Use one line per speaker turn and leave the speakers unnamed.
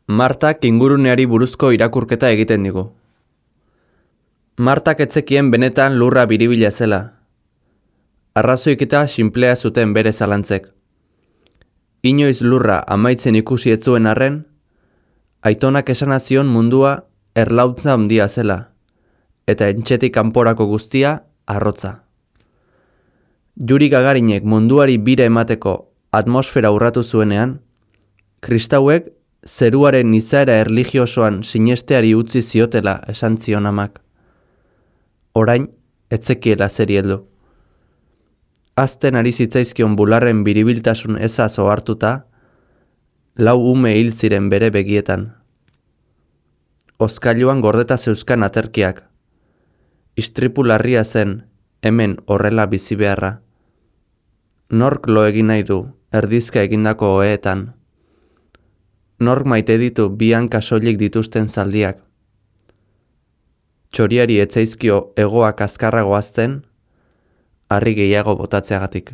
Martak inguruneari buruzko irakurketa egiten digu. Martak etzekien benetan lurra biribila zela. Arrazoiketa sinplea zuten bere zalantzek. Inoiz lurra amaitzen ikusi ez zuen arren, aitonak esanazion mundua erlautza handia zela, eta entxetik kanporako guztia arrotza. Yuri Gagarinek munduari bira emateko atmosfera urratu zuenean, kristauek zeruaren izaera erlijiosoan sinesteari utzi ziotela esan zion amak. Orain, etzekiela zeri heldu. Azten ari zitzaizkion bularren biribiltasun ezaz ohartuta, lau ume hil ziren bere begietan. Oskailuan gordeta zeuzkan aterkiak. Istripu larria zen, hemen horrela bizi beharra. Nork lo egin nahi du, erdizka egindako oheetan. Nork maite ditu bi hanka soilik dituzten zaldiak. Txoriari etzaizkio hegoak azkarrago hazten, harri gehiago botatzeagatik.